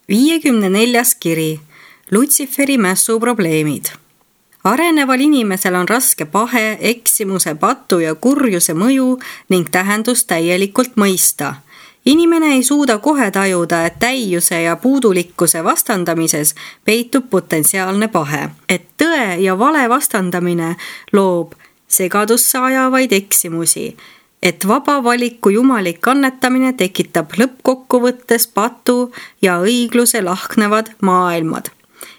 54. kiri. Lutsiferi mässu probleemid. Areneval inimesel on raske pahe, eksimuse, patu ja kurjuse mõju ning tähendust täielikult mõista. Inimene ei suuda kohe tajuda, et täiuse ja puudulikkuse vastandamises peitub potentsiaalne pahe. Et tõe ja vale vastandamine loob segadusse ajavaid eksimusi. Et vaba valiku jumalik annetamine tekitab lõppkokkuvõttes patu ja õigluse lahknevad maailmad.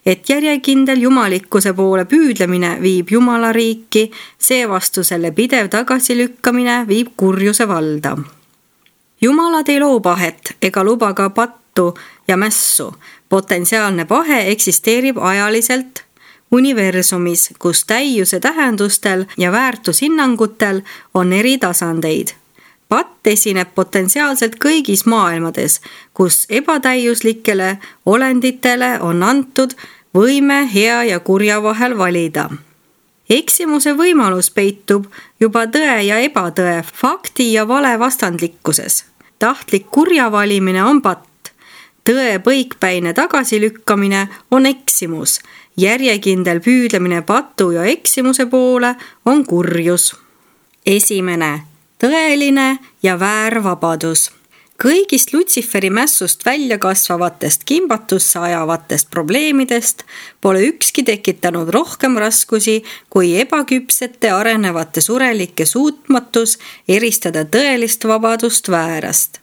Et järjekindel jumalikkuse poole püüdlemine viib Jumala riiki, seevastu selle pidev tagasilükkamine viib kurjuse valda. Jumalad ei loo pahet ega luba ka pattu ja mässu. Potentsiaalne pahe eksisteerib ajaliselt universumis, kus täiuse tähendustel ja väärtushinnangutel on eri tasandeid. Patt esineb potentsiaalselt kõigis maailmades, kus ebatäiuslikele olenditele on antud võime hea ja kurja vahel valida. Eksimuse võimalus peitub juba tõe ja ebatõe, fakti ja vale vastandlikkuses. Tahtlik kurja valimine on patt. Tõe põikpäine tagasilükkamine on eksimus. Järjekindel püüdlemine patu ja eksimuse poole on kurjus. 1. Tõeline ja väär vabadus. Kõigist Lutsiferi mässust välja kasvavatest kimbatusse ajavatest probleemidest pole ükski tekitanud rohkem raskusi kui ebaküpsete arenevate surelike suutmatus eristada tõelist vabadust väärast.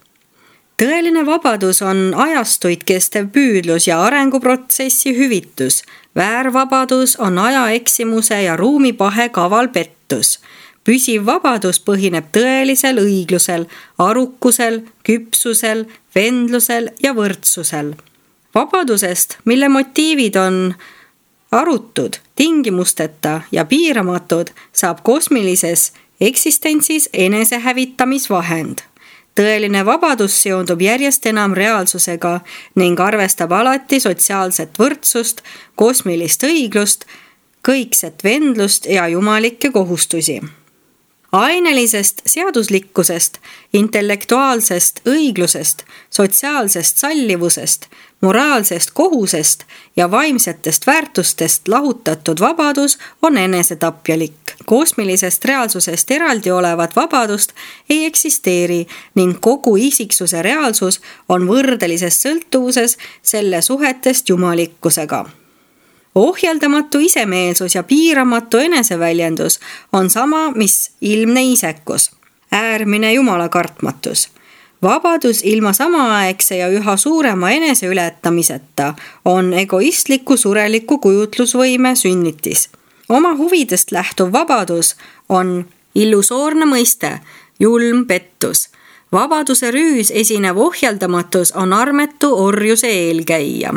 Tõeline vabadus on ajastuid kestev püüdlus ja arenguprotsessi hüvitus. Väärvabadus on aja eksimuse ja ruumipahe kaval pettus. Püsiv vabadus põhineb tõelisel õiglusel, arukusel, küpsusel, vendlusel ja võrdsusel. Vabadusest, mille motiivid on arutud, tingimusteta ja piiramatud, saab kosmilises eksistentsis enesehävitamisvahend. Tõeline vabadus seondub järjest enam reaalsusega ning arvestab alati sotsiaalset võrdsust, kosmilist õiglust, kõikset vendlust ja jumalikke kohustusi. Ainelisest seaduslikkusest, intellektuaalsest õiglusest, sotsiaalsest sallivusest, moraalsest kohusest ja vaimsetest väärtustest lahutatud vabadus on enesetapjalik. Kosmilisest reaalsusest eraldi olevat vabadust ei eksisteeri ning kogu isiksuse reaalsus on võrdelises sõltuvuses selle suhetest jumalikkusega. Ohjeldamatu isemeelsus ja piiramatu eneseväljendus on sama, mis ilmne isekus, äärmine jumalakartmatus. Vabadus ilma samaaegse ja üha suurema eneseületamiseta on egoistliku sureliku kujutlusvõime sünnitis. Oma huvidest lähtuv vabadus on illusoorne mõiste, julm pettus. Vabaduse rüüs esinev ohjeldamatus on armetu orjuse eelkäija.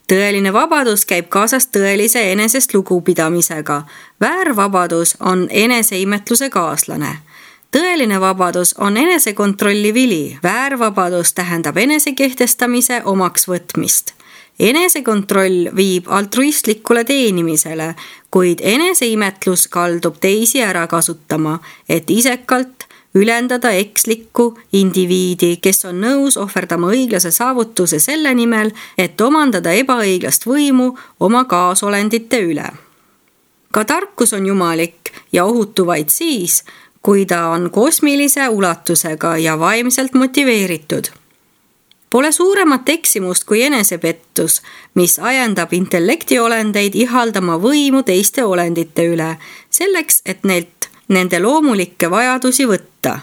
Tõeline vabadus käib kaasas tõelise enesest lugupidamisega. Väärvabadus on eneseimetluse kaaslane. Tõeline vabadus on enesekontrolli vili. Väärvabadus tähendab enesekehtestamise omaks võtmist. Enesekontroll viib altruistlikule teenimisele, kuid eneseimetlus kaldub teisi ära kasutama, et isekalt ülendada ekslikku indiviidi, kes on nõus ohverdama õiglase saavutuse selle nimel, et omandada ebaõiglast võimu oma kaasolendite üle. Ka tarkus on jumalik ja ohutu vaid siis, kui ta on kosmilise ulatusega ja vaimselt motiveeritud. Pole suuremat eksimust kui enesepettus, mis ajendab intellektiolendeid ihaldama võimu teiste olendite üle, selleks, et nende loomulikke vajadusi võtta.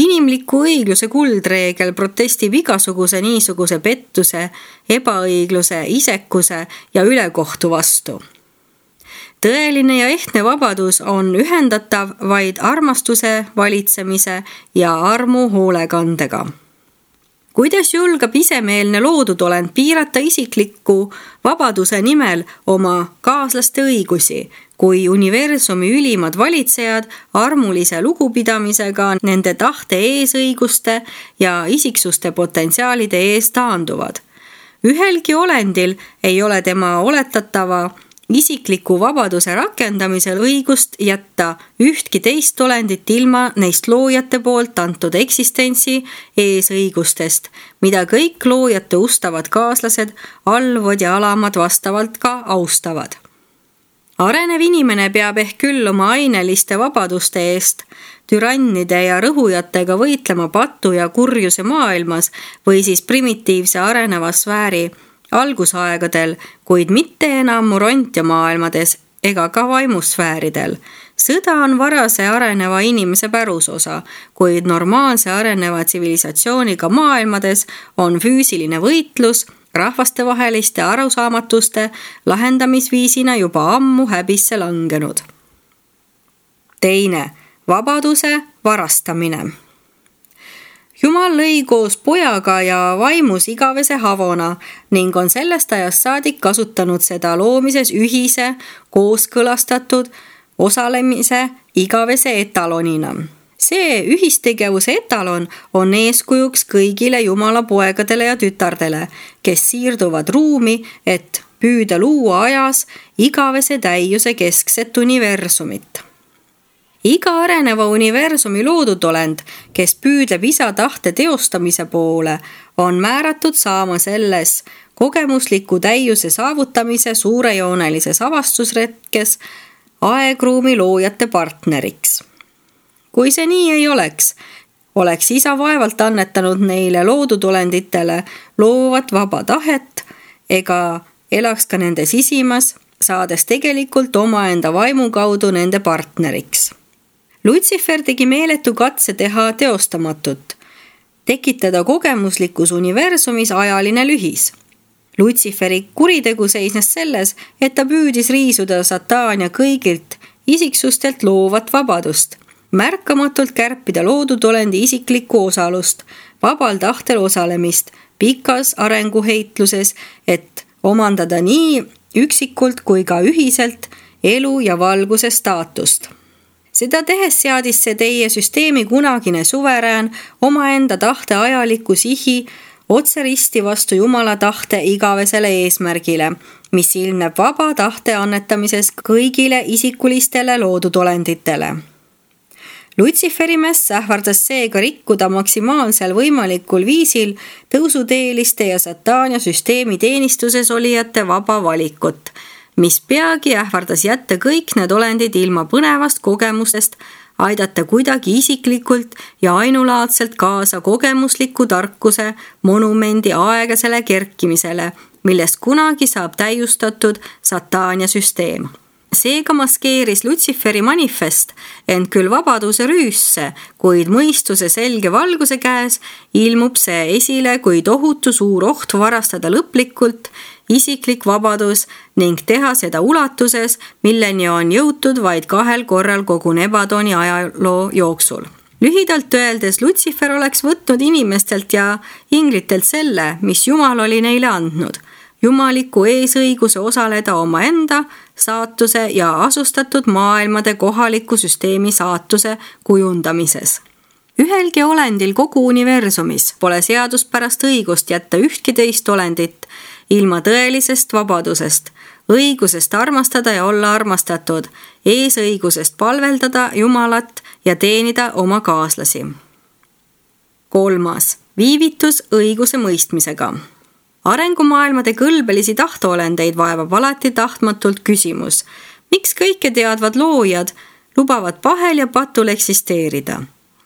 Inimliku õigluse kuldreegel protestib igasuguse niisuguse pettuse, ebaõigluse, isekuse ja ülekohtu vastu. Tõeline ja ehtne vabadus on ühendatav vaid armastuse, valitsemise ja armu hoolekandega. Kuidas julgab isemeelne loodud olend piirata isikliku vabaduse nimel oma kaaslaste õigusi, kui universumi ülimad valitsejad armulise lugupidamisega nende tahte eesõiguste ja isiksuste potentsiaalide ees taanduvad? Ühelgi olendil ei ole tema oletatava isikliku vabaduse rakendamisel õigust jätta ühtki teist olendit ilma neist loojate poolt antud eksistentsi eesõigustest, mida kõik loojate ustavad kaaslased, alluvad ja alamad vastavalt ka austavad. Arenev inimene peab ehk küll oma aineliste vabaduste eest türannide ja rõhujatega võitlema patu ja kurjuse maailmas või siis primitiivse areneva sfääri algusaegadel, kuid mitte enam Morontia maailmades ega ka vaimusfääridel. Sõda on varase areneva inimese pärusosa, kuid normaalse areneva tsivilisatsiooniga maailmades on füüsiline võitlus rahvastevaheliste arusaamatuste lahendamisviisina juba ammu häbisse langenud. Teine, vabaduse varastamine. Jumal lõi koos pojaga ja vaimus igavese havona ning on sellest ajast saadik kasutanud seda loomises ühise, kooskõlastatud osalemise igavese etalonina. See ühistegevuse etalon on eeskujuks kõigile Jumala poegadele ja tütardele, kes siirduvad ruumi, et püüda luua ajas igavese täiuse keskset universumit. Iga areneva universumi loodud olend, kes püüdleb isa tahte teostamise poole, on määratud saama selles kogemusliku täiuse saavutamise suurejoonelises avastusretkes aegruumi loojate partneriks. Kui see nii ei oleks isa vaevalt annetanud neile loodud olenditele loovat vaba tahet ega elaks ka nende sisimas, saades tegelikult omaenda vaimu kaudu nende partneriks. Lutsifer tegi meeletu katse teha teostamatut, tekitada kogemuslikus universumis ajaline lühis. Lutsiferi kuritegu seisnes selles, et ta püüdis riisuda Sataania kõigilt isiksustelt loovat vabadust, märkamatult kärpida loodud olendi isiklikku osalust, vabal tahtel osalemist, pikas arenguheitluses, et omandada nii üksikult kui ka ühiselt elu ja valguse staatust. Seda tehes seadis see teie süsteemi kunagine suverään omaenda tahte ajaliku sihi otse risti vastu Jumala tahte igavesele eesmärgile, mis ilmneb vaba tahte annetamises kõigile isikulistele loodud olenditele. Lutsiferi mäss ähvardas seega rikkuda maksimaalsel võimalikul viisil tõusuteeliste ja Sataania süsteemi teenistuses olijate vaba valikut, mis peagi ähvardas jätta kõik need olendid ilma põnevast kogemusest, aidata kuidagi isiklikult ja ainulaadselt kaasa kogemusliku tarkuse monumendi aegasele kerkimisele, millest kunagi saab täiustatud Sataania süsteem. Seega maskeeris Lutsiferi manifest ent küll vabaduse rüüsse, kuid mõistuse selge valguse käes ilmub see esile kui tohutu suur oht varastada lõplikult isiklik vabadus ning teha seda ulatuses, milleni on jõutud vaid 2 korral kogu Nebadoni ajaloo jooksul. Lühidalt öeldes Lutsifer oleks võtnud inimestelt ja inglitelt selle, mis Jumal oli neile andnud. Jumaliku eesõiguse osaleda omaenda saatuse ja asustatud maailmade kohaliku süsteemi saatuse kujundamises. Ühelgi olendil kogu universumis pole seaduspärast õigust jätta ühtki teist olendit ilma tõelisest vabadusest, õigusest armastada ja olla armastatud, eesõigusest palveldada Jumalat ja teenida oma kaaslasi. 3. Viivitus õiguse mõistmisega. Arengumaailmade kõlbelisi tahtoolendeid vaevab alati tahtmatult küsimus, miks kõike teadvad loojad lubavad pahel ja patul eksisteerida.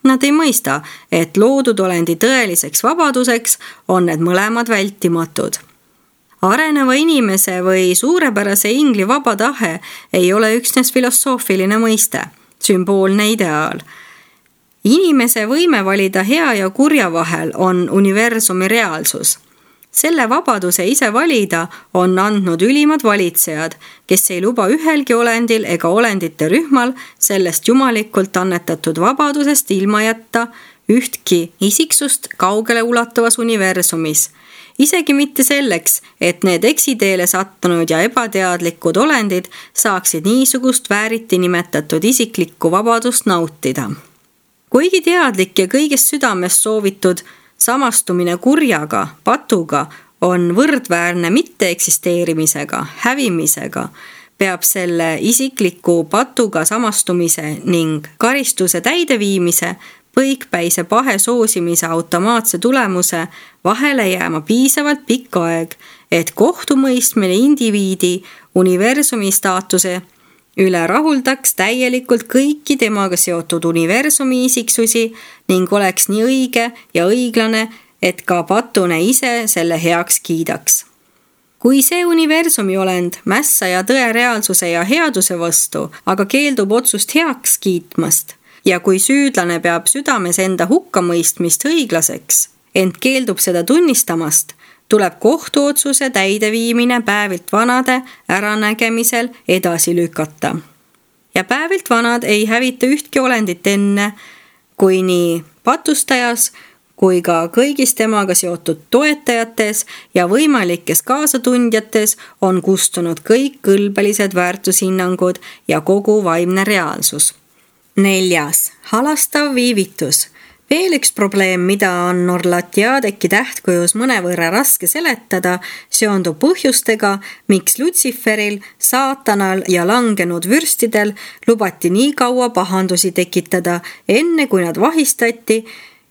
Nad ei mõista, et loodud olendi tõeliseks vabaduseks on need mõlemad vältimatud. Areneva inimese või suurepärase ingli vaba tahe ei ole üksnes filosoofiline mõiste, sümboolne ideaal. Inimese võime valida hea ja kurja vahel on universumi reaalsus. Selle vabaduse ise valida on andnud ülimad valitsejad, kes ei luba ühelgi olendil ega olendite rühmal sellest jumalikult annetatud vabadusest ilma jätta ühtki isiksust kaugele ulatuvas universumis. Isegi mitte selleks, et need eksiteele sattunud ja ebateadlikud olendid saaksid niisugust vääriti nimetatud isiklikku vabadust nautida. Kuigi teadlik ja kõigest südamest soovitud samastumine kurjaga, patuga on võrdväärne mitte eksisteerimisega, hävimisega, peab selle isikliku patuga samastumise ning karistuse täideviimise põikpäise pahe soosimise automaatse tulemuse vahele jääma piisavalt pikk aeg, et kohtumõistmine indiviidi universumi staatuse üle rahuldaks täielikult kõiki temaga seotud universumi isiksusi ning oleks nii õige ja õiglane, et ka patune ise selle heaks kiidaks. Kui see universumi olend mässaja tõe reaalsuse ja headuse vastu, aga keeldub otsust heaks kiitmast ja kui süüdlane peab südames enda hukkamõistmist õiglaseks, ent keeldub seda tunnistamast, tuleb kohtuotsuse täideviimine päevilt vanade äranägemisel edasi lükata. Ja päevilt vanad ei hävita ühtki olendit enne, kui nii patustajas kui ka kõigis temaga seotud toetajates ja võimalikes kaasatundjates on kustunud kõik kõlbelised väärtushinnangud ja kogu vaimne reaalsus. 4. Halastav viivitus. Veel üks probleem, mida on Orlatiadeki tähtkujus mõnevõrra raske seletada, seondub põhjustega, miks Lutsiferil, saatanal ja langenud vürstidel lubati nii kaua pahandusi tekitada, enne kui nad vahistati,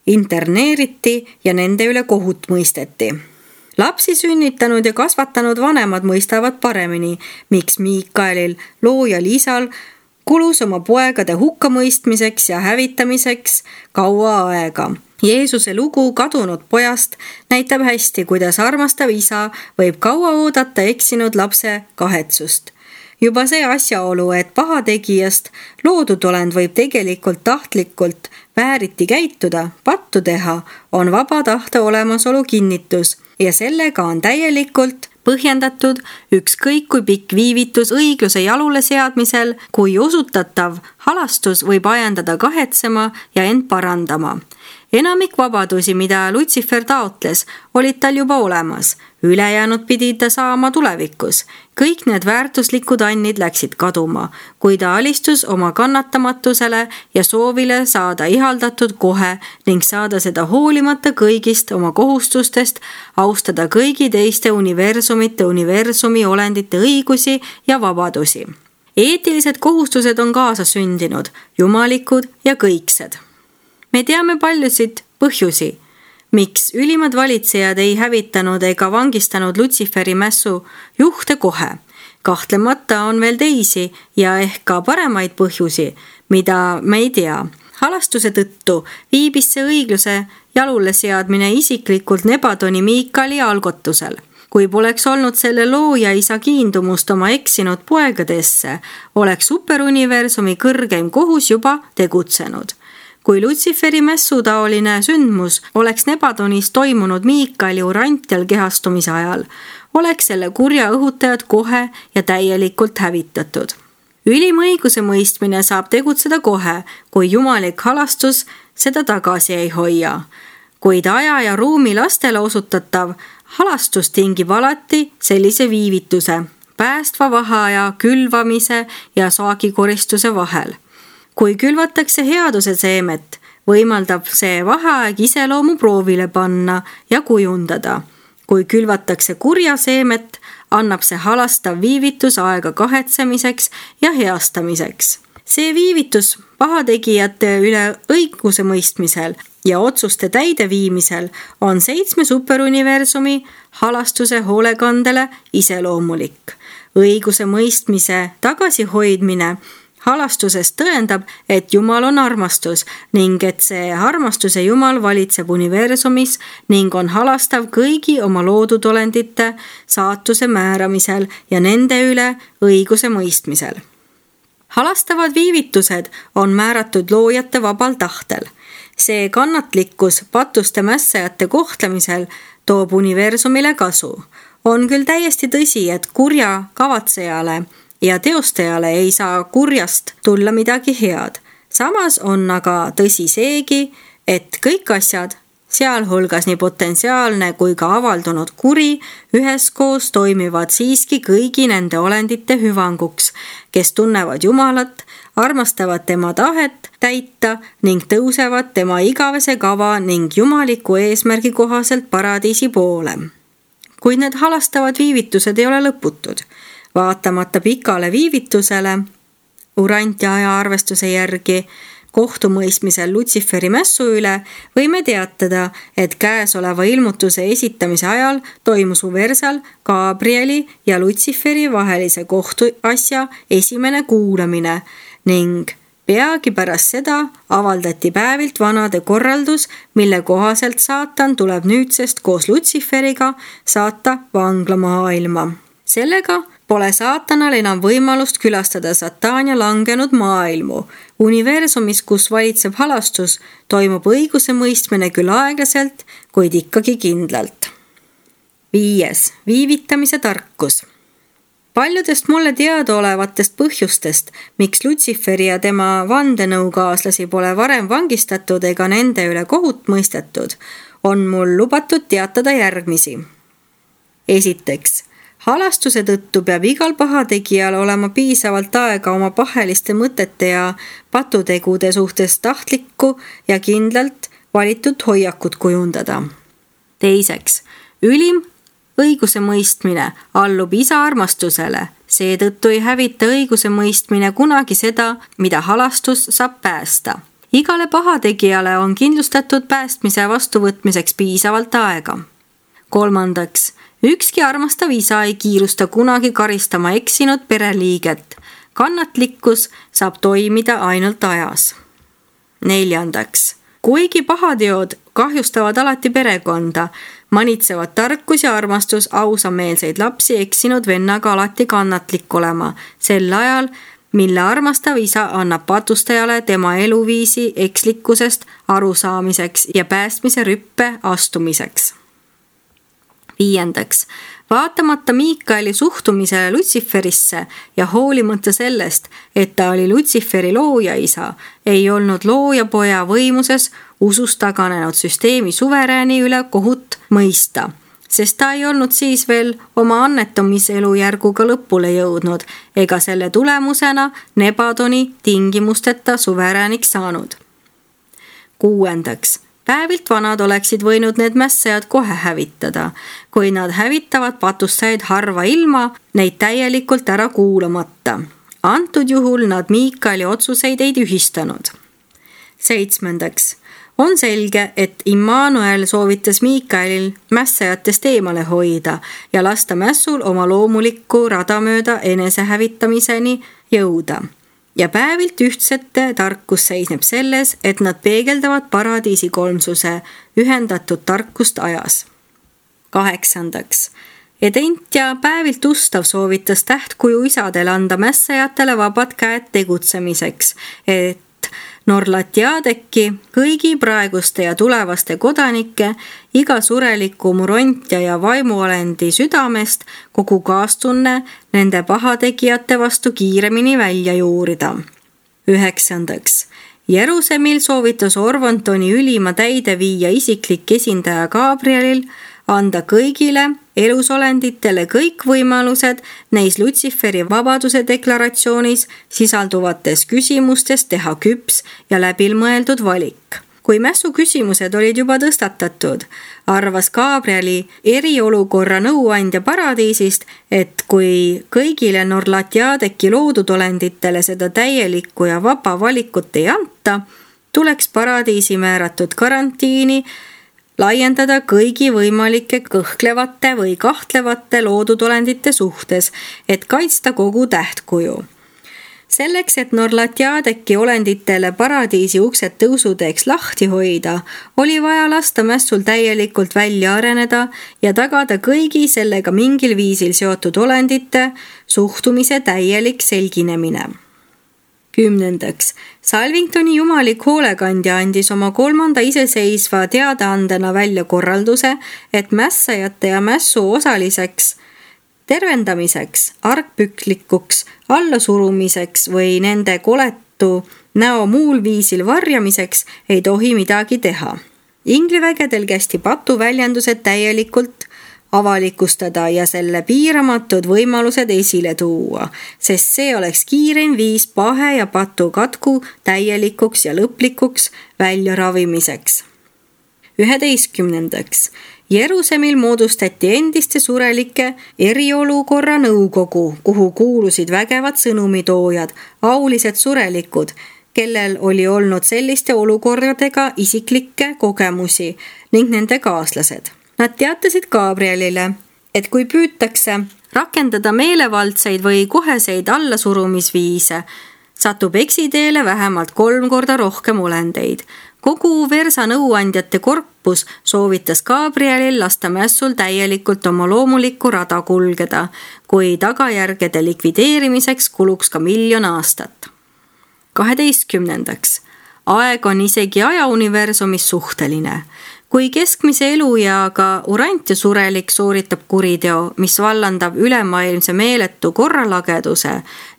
interneeriti ja nende üle kohut mõisteti. Lapsi sünnitanud ja kasvatanud vanemad mõistavad paremini, miks Miikaelil, loojal isal, kulus oma poegade hukkamõistmiseks ja hävitamiseks kaua aega. Jeesuse lugu kadunud pojast näitab hästi, kuidas armastav isa võib kaua oodata eksinud lapse kahetsust. Juba see asjaolu, et pahategijast loodud olend võib tegelikult tahtlikult vääriti käituda, pattu teha, on vaba tahte olemasolu kinnitus ja sellega on täielikult põhjendatud ükskõik kui pikk viivitus õigluse jalule seadmisel, kui osutatav halastus võib ajendada kahetsema ja end parandama. Enamik vabadusi, mida Lutsifer taotles, olid tal juba olemas. Ülejäänud pidi ta saama tulevikus. Kõik need väärtuslikud annid läksid kaduma, kui ta alistus oma kannatamatusele ja soovile saada ihaldatud kohe ning saada seda hoolimata kõigist oma kohustustest, austada kõigi teiste universumi olendite õigusi ja vabadusi. Eetilised kohustused on kaasa sündinud, jumalikud ja kõiksed. Me teame paljusid põhjusi, miks ülimad valitsejad ei hävitanud ega vangistanud Lutsiferi mässu juhte kohe. Kahtlemata on veel teisi ja ehk ka paremaid põhjusi, mida me ei tea. Halastuse tõttu viibis see õigluse jalule seadmine isiklikult Nebadoni Miikali algotusel. Kui poleks olnud selle looja isa kiindumust oma eksinud poegadesse, oleks superuniversumi kõrgeim kohus juba tegutsenud. Kui Lutsiferi mässutaoline sündmus oleks Nebadonis toimunud Miikali urantial kehastumise ajal, oleks selle kurja õhutajad kohe ja täielikult hävitatud. Ülim õiguse mõistmine saab tegutseda kohe, kui jumalik halastus seda tagasi ei hoia. Kuid aja ja ruumi lastele osutatav halastus tingib alati sellise viivituse, päästva vaheaja, külvamise ja saagikoristuse vahel. Kui külvatakse headuse seemet, võimaldab see vaheaeg iseloomu proovile panna ja kujundada. Kui külvatakse kurja seemet, annab see halastav viivitus aega kahetsemiseks ja heastamiseks. See viivitus pahategijate üle õiguse mõistmisel ja otsuste täideviimisel on 7 superuniversumi halastuse hoolekandele iseloomulik. Õiguse mõistmise tagasihoidmine halastusest tõendab, et Jumal on armastus ning et see armastuse Jumal valitseb universumis ning on halastav kõigi oma loodud olendite saatuse määramisel ja nende üle õiguse mõistmisel. Halastavad viivitused on määratud loojate vabal tahtel. See kannatlikkus patuste mässajate kohtlemisel toob universumile kasu. On küll täiesti tõsi, et kurja kavatsejale ja teostajale ei saa kurjast tulla midagi head. Samas on aga tõsi seegi, et kõik asjad, sealhulgas nii potentsiaalne kui ka avaldunud kuri, üheskoos toimivad siiski kõigi nende olendite hüvanguks, kes tunnevad Jumalat, armastavad tema tahet täita ning tõusevad tema igavese kava ning jumaliku eesmärgi kohaselt paradiisi poole. Kuid need halastavad viivitused ei ole lõputud. Vaatamata pikale viivitusele Urantia ajaarvestuse järgi kohtumõistmisel Lutsiferi mässu üle võime teatada, et käesoleva ilmutuse esitamise ajal toimus Uversal Gabrieli ja Lutsiferi vahelise kohtuasja esimene kuulamine ning peagi pärast seda avaldati Päevilt Vanade korraldus, mille kohaselt saatan tuleb nüüdsest koos Lutsiferiga saata vanglamaailma. Sellega pole saatanal enam võimalust külastada Sataania langenud maailmu. Universumis, kus valitseb halastus, toimub õiguse mõistmine küll aeglaselt, kuid ikkagi kindlalt. 5. Viivitamise tarkus. Paljudest mulle teadaolevatest põhjustest, miks Lutsiferi ja tema vandenõukaaslasi pole varem vangistatud ega nende üle kohut mõistetud, on mul lubatud teatada järgmisi. Esiteks, halastuse tõttu peab igal pahategijal olema piisavalt aega oma paheliste mõtete ja patutegude suhtes tahtlikku ja kindlalt valitud hoiakut kujundada. Teiseks, ülim õiguse mõistmine allub isa armastusele, seetõttu ei hävita õiguse mõistmine kunagi seda, mida halastus saab päästa. Igale pahategijale on kindlustatud päästmise vastuvõtmiseks piisavalt aega. Kolmandaks, ükski armastav isa ei kiirusta kunagi karistama eksinud pereliiget. Kannatlikkus saab toimida ainult ajas. Neljandaks, kuigi pahateod kahjustavad alati perekonda, manitsevad tarkus ja armastus ausameelseid lapsi eksinud vennaga alati kannatlik olema, sel ajal, mille armastav isa annab patustajale tema eluviisi ekslikkusest arusaamiseks ja päästmise rüppe astumiseks. Viiendaks, vaatamata Miikaeli suhtumisele Lutsiferisse ja hoolimata sellest, et ta oli Lutsiferi loojaisa, ei olnud loojapoja võimuses usust taganenud süsteemi suverääni üle kohut mõista, sest ta ei olnud siis veel oma annetamiselujärguga lõpule jõudnud ega selle tulemusena Nebadoni tingimusteta suverääniks saanud. Kuuendaks, Päevilt Vanad oleksid võinud need mässajad kohe hävitada, kui nad hävitavad patustajaid harva ilma, neid täielikult ära kuulamata. Antud juhul nad Miikaeli otsuseid ei tühistanud. Seitsmendaks, on selge, et Immanuel soovitas Miikaelil mässajatest eemale hoida ja lasta mässul oma loomulikku rada mööda enesehävitamiseni jõuda. Ja Päevilt ühtsete tarkus seisneb selles, et nad peegeldavad paradiisi kolmsuse ühendatud tarkust ajas. Kaheksandaks, Edent ja Päevilt Ustav soovitas tähtkuju isadele anda mässajatele vabad käed tegutsemiseks, et Norlatiadeki, kõigi praeguste ja tulevaste kodanike, iga sureliku Murontia ja vaimuolendi südamest kogu kaastunne nende pahategijate vastu kiiremini välja juurida. 9. Jeruusalemil soovitas Orvontoni ülima täideviija isiklik esindaja Gabrielil anda kõigile elusolenditele kõik võimalused neis Lutsiferi vabaduse deklaratsioonis sisalduvates küsimustes teha küps ja läbimõeldud valik. Kui mässu küsimused olid juba tõstatatud, arvas Gabrieli eriolukorra nõuandja paradiisist, et kui kõigile Norlatiadeki loodud olenditele seda täielikku ja vaba valikut ei anta, tuleks paradiisi määratud karantiini laiendada kõigi võimalike kõhklevate või kahtlevate loodudolendite suhtes, et kaitsta kogu tähtkuju. Selleks, et Norlatiadeki olenditele paradiisi uksed tõusuteeks lahti hoida, oli vaja lasta mässul täielikult välja areneda ja tagada kõigi sellega mingil viisil seotud olendite suhtumise täielik selginemine. 10. Salvingtoni jumalik hoolekandja andis oma 3. iseseisva teadaandena välja korralduse, et mässajate ja mässu osaliseks tervendamiseks, argpüklikuks, allasurumiseks või nende koletu näo muul viisil varjamiseks ei tohi midagi teha. Inglivägedel kästi patuväljendused täielikult avalikustada ja selle piiramatud võimalused esile tuua, sest see oleks kiireim viis pahe ja patu katku täielikuks ja lõplikuks väljaravimiseks. 11. Jeruusalemil moodustati endiste surelike eriolukorra nõukogu, kuhu kuulusid vägevad sõnumitoojad, aulised surelikud, kellel oli olnud selliste olukordadega isiklikke kogemusi ning nende kaaslased. Nad teatasid Gabrielile, et kui püütakse rakendada meelevaldseid või koheseid allasurumisviise, satub eksiteele vähemalt 3 korda rohkem olendeid. Kogu Versa nõuandjate korpus soovitas Gabrielil lasta mässul täielikult oma loomulikku rada kulgeda, kui tagajärgede likvideerimiseks kuluks ka 1 000 000 aastat. 12. Aeg on isegi ajauniversumis suhteline. Kui keskmise elueaga Urantia surelik sooritab kuriteo, mis vallandab ülemaailmse meeletu korralageduse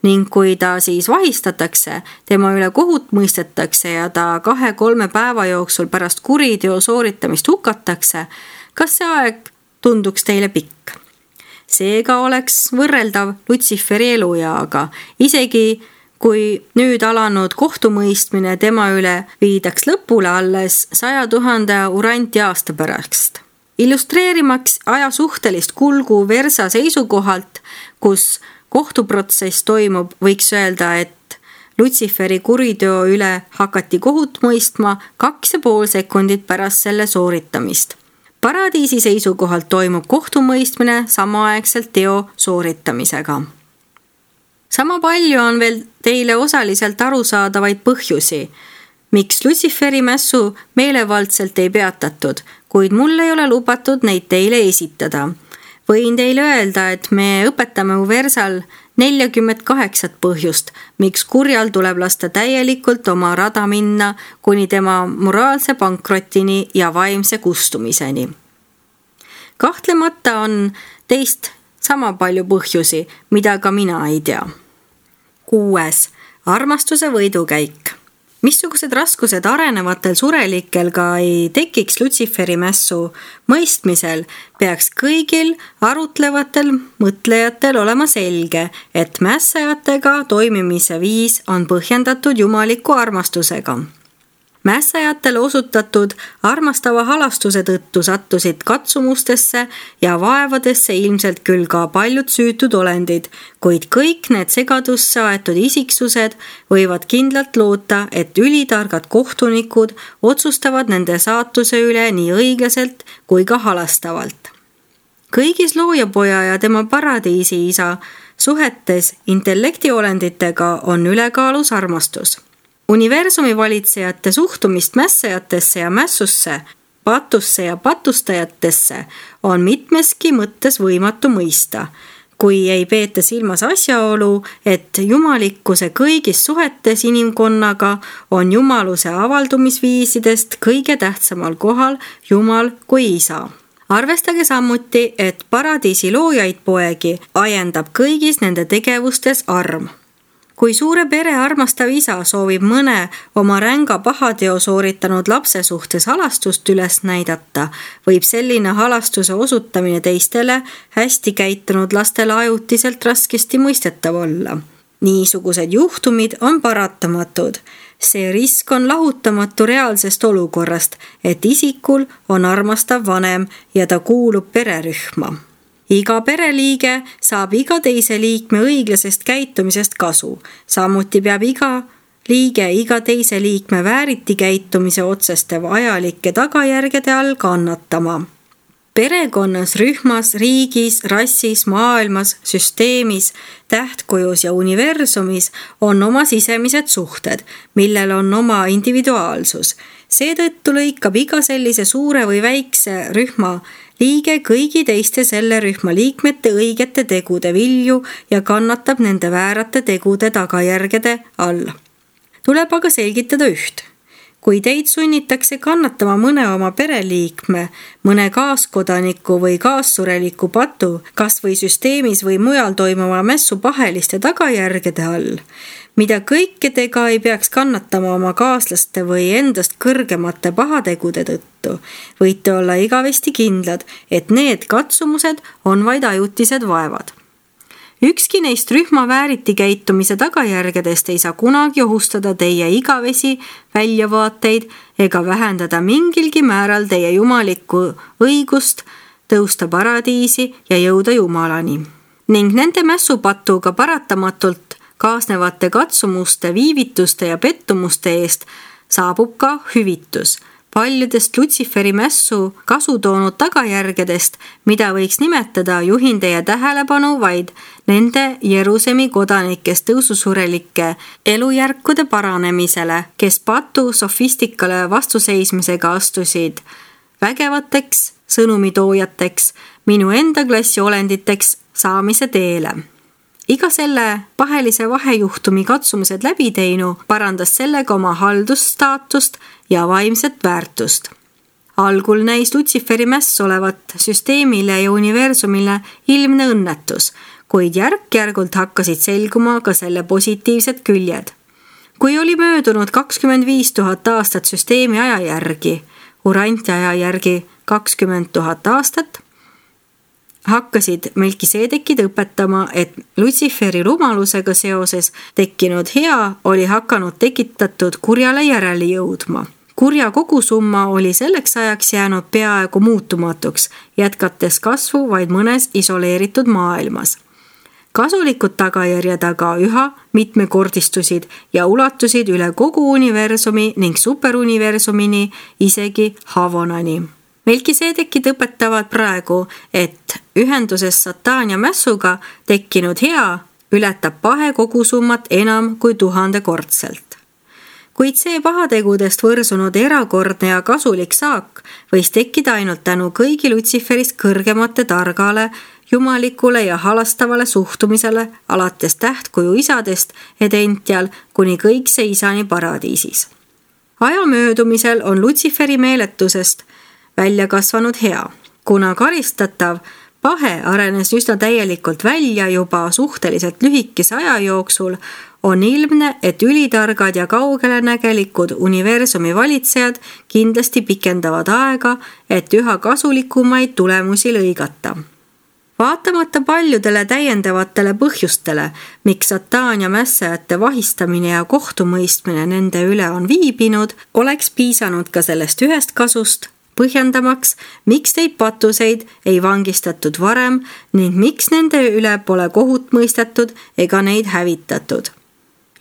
ning kui ta siis vahistatakse, tema üle kohut mõistetakse ja ta 2-3 päeva jooksul pärast kuriteo sooritamist hukatakse, kas see aeg tunduks teile pikk? Seega oleks võrreldav Lutsiferi elueaga, isegi kui nüüd alanud kohtumõistmine tema üle viidaks lõpule alles 100 000 Urantia aasta pärast. Illustreerimaks aja suhtelist kulgu Versa seisukohalt, kus kohtuprotsess toimub, võiks öelda, et Lutsiferi kuriteo üle hakati kohut mõistma 2,5 sekundit pärast selle sooritamist. Paradiisi seisukohalt toimub kohtumõistmine samaaegselt teo sooritamisega. Sama palju on veel teile osaliselt arusaadavaid põhjusi, miks Lutsiferi mässu meelevaldselt ei peatatud, kuid mul ei ole lubatud neid teile esitada. Võin teile öelda, et me õpetame Versal 48 põhjust, miks kurjal tuleb lasta täielikult oma rada minna kuni tema moraalse pankrotini ja vaimse kustumiseni. Kahtlemata on teist sama palju põhjusi, mida ka mina ei tea. 6. Armastuse võidukäik. Missugused raskused arenevatel surelikel ka ei tekiks Lutsiferi mässu mõistmisel, peaks kõigil arutlevatel mõtlejatel olema selge, et mässajatega toimimise viis on põhjendatud jumaliku armastusega. Mässajatele osutatud armastava halastuse tõttu sattusid katsumustesse ja vaevadesse ilmselt küll ka paljud süütud olendid, kuid kõik need segadusse aetud isiksused võivad kindlalt loota, et ülitargad kohtunikud otsustavad nende saatuse üle nii õiglaselt kui ka halastavalt. Kõigis loojapoja ja tema paradiisi isa suhetes intellektiolenditega on ülekaalus armastus. Universumi valitsejate suhtumist mässajatesse ja mässusse, patusse ja patustajatesse on mitmeski mõttes võimatu mõista, kui ei peeta silmas asjaolu, et jumalikkuse kõigis suhetes inimkonnaga on jumaluse avaldumisviisidest kõige tähtsamal kohal Jumal kui isa. Arvestage samuti, et paradiisi loojaid poegi ajendab kõigis nende tegevustes arm. Kui suure pere armastav isa soovib mõne oma ränga pahateo sooritanud lapse suhtes halastust üles näidata, võib selline halastuse osutamine teistele hästi käitunud lastele ajutiselt raskesti mõistetav olla. Niisugused juhtumid on paratamatud. See risk on lahutamatu reaalsest olukorrast, et isikul on armastav vanem ja ta kuulub pererühma. Iga pereliige saab iga teise liikme õiglasest käitumisest kasu. Samuti peab iga liige iga teise liikme vääriti käitumise otseste vajalike tagajärgede all kannatama. Perekonnas, rühmas, riigis, rassis, maailmas, süsteemis, tähtkujus ja universumis on oma sisemised suhted, millel on oma individuaalsus. Seetõttu lõikab iga sellise suure või väikse rühma liige kõigi teiste selle rühma liikmete õigete tegude vilju ja kannatab nende väärate tegude tagajärgede all. Tuleb aga selgitada üht. Kui teid sunnitakse kannatama mõne oma pereliikme, mõne kaaskodaniku või kaassureliku patu, kas või süsteemis või mujal toimuma mässu paheliste tagajärgede all, mida kõikedega ei peaks kannatama oma kaaslaste või endast kõrgemate pahategude tõttu, võite olla igavesti kindlad, et need katsumused on vaid ajutised vaevad. Ükski neist rühma vääriti käitumise tagajärgedest ei saa kunagi ohustada teie igavesi väljavaateid ega vähendada mingilgi määral teie jumalikku õigust tõusta paradiisi ja jõuda Jumalani. Ning nende mässupatuga paratamatult kaasnevate katsumuste, viivituste ja pettumuste eest saabub ka hüvitus. Paljudest Lutsiferi mässu kasu toonud tagajärgedest, mida võiks nimetada, juhin teie tähelepanu vaid nende Jerusemi kodanikest tõususurelike elujärkude paranemisele, kes patu sofistikale vastuseismisega astusid vägevateks sõnumitoojateks, minu enda klassi olenditeks saamise teele. Iga selle pahelise vahejuhtumi katsumused läbi teinu parandas sellega oma haldusstaatust ja vaimset väärtust. Algul näis Lutsiferi mäss olevat süsteemile ja universumile ilmne õnnetus, kuid järk-järgult hakkasid selguma ka selle positiivsed küljed. Kui oli möödunud 25 000 aastat süsteemi aja järgi, Uranti aja järgi 20 000 aastat, hakkasid Melkiseedekid õpetama, et Lutsiferi rumalusega seoses tekkinud hea oli hakanud tekitatud kurjale järele jõudma. Kurja kogusumma oli selleks ajaks jäänud peaaegu muutumatuks, jätkates kasvu vaid mõnes isoleeritud maailmas. Kasulikud tagajärjed aga üha mitmekordistusid ja ulatusid üle kogu universumi ning superuniversumini, isegi Havonani. Melkiseedekid õpetavad praegu, et ühenduses Satan ja mässuga tekkinud hea ületab pahe kogusummat enam kui 1000-kordselt. Kuid see pahategudest võrsunud erakordne ja kasulik saak võis tekkida ainult tänu kõigi Lutsiferist kõrgemate targale, jumalikule ja halastavale suhtumisele alates tähtkuju isadest Edential kuni kõikse isani paradiisis. Aja möödumisel on Lutsiferi meeletusest välja kasvanud hea. Kuna karistatav pahe arenes üsna täielikult välja juba suhteliselt lühikese aja jooksul, on ilmne, et ülitargad ja kaugelenägelikud universumi valitsejad kindlasti pikendavad aega, et üha kasulikumaid tulemusi lõigata. Vaatamata paljudele täiendavatele põhjustele, miks Satan ja mässajate vahistamine ja kohtumõistmine nende üle on viibinud, oleks piisanud ka sellest ühest kasust, põhjendamaks, miks neid patuseid ei vangistatud varem ning miks nende üle pole kohut mõistetud ega neid hävitatud.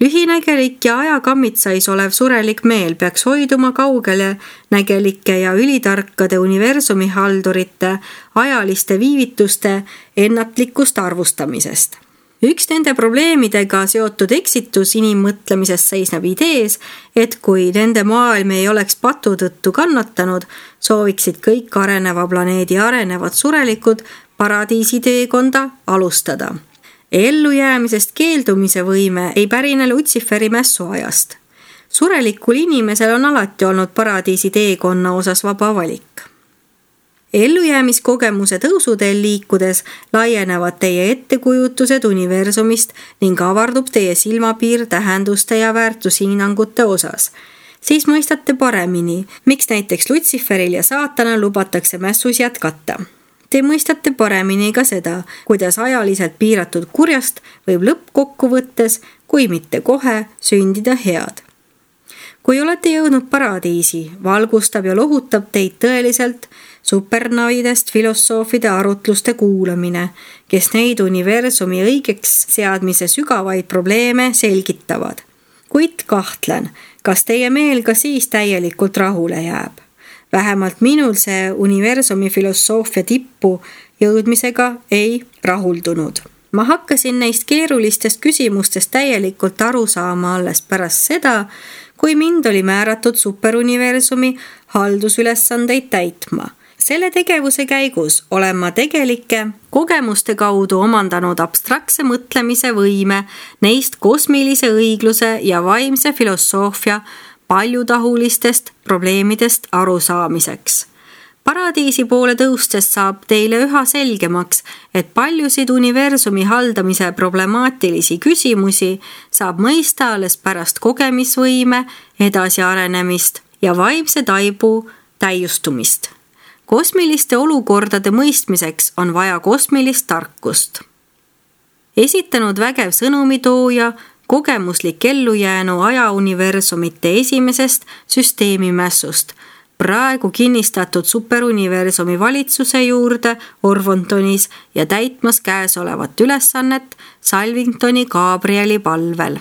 Lühinägelik ja ajakammitsais olev surelik meel peaks hoiduma kaugele nägelike ja ülitarkade universumi haldurite ajaliste viivituste ennatlikust arvustamisest. Üks nende probleemidega seotud eksitus inimmõtlemises seisneb idees, et kui nende maailm ei oleks patu tõttu kannatanud, sooviksid kõik areneva planeedi arenevad surelikud paradiisi teekonda alustada. Ellujäämisest keeldumise võime ei pärine Lutsiferi mässu ajast. Surelikul inimesel on alati olnud paradiisi teekonna osas vaba valik. Ellujäämiskogemuse tõusuteel liikudes laienevad teie ettekujutused universumist ning avardub teie silmapiir tähenduste ja väärtushinnangute osas. Siis mõistate paremini, miks näiteks Lutsiferil ja Saatanal lubatakse mässus jätkata. Te mõistate paremini ka seda, kuidas ajaliselt piiratud kurjast võib lõppkokkuvõttes, kui mitte kohe, sündida head. Kui olete jõudnud paradiisi, valgustab ja lohutab teid tõeliselt supernavidest filosoofide arutluste kuulamine, kes neid universumi õigeks seadmise sügavaid probleeme selgitavad. Kuid kahtlen, kas teie meel ka siis täielikult rahule jääb. Vähemalt minul see universumi filosoofia tippu jõudmisega ei rahuldunud. Ma hakkasin neist keerulistest küsimustest täielikult aru saama alles pärast seda, kui mind oli määratud superuniversumi haldusülesandeid täitma. Selle tegevuse käigus olen ma tegelike kogemuste kaudu omandanud abstraktse mõtlemise võime neist kosmilise õigluse ja vaimse filosoofia paljutahulistest probleemidest arusaamiseks. Paradiisi poole tõustes saab teile üha selgemaks, et paljusid universumi haldamise problemaatilisi küsimusi saab mõista alles pärast kogemisvõime edasiarenemist ja vaimse taibu täiustumist. Kosmiliste olukordade mõistmiseks on vaja kosmilist tarkust. esitanud vägev sõnumitooja, kogemuslik ellujäänu ajauniversumite esimesest süsteemimässust, praegu kinnistatud superuniversumi valitsuse juurde Orvontonis ja täitmas käesolevat ülesannet Salvingtoni Gabrieli palvel.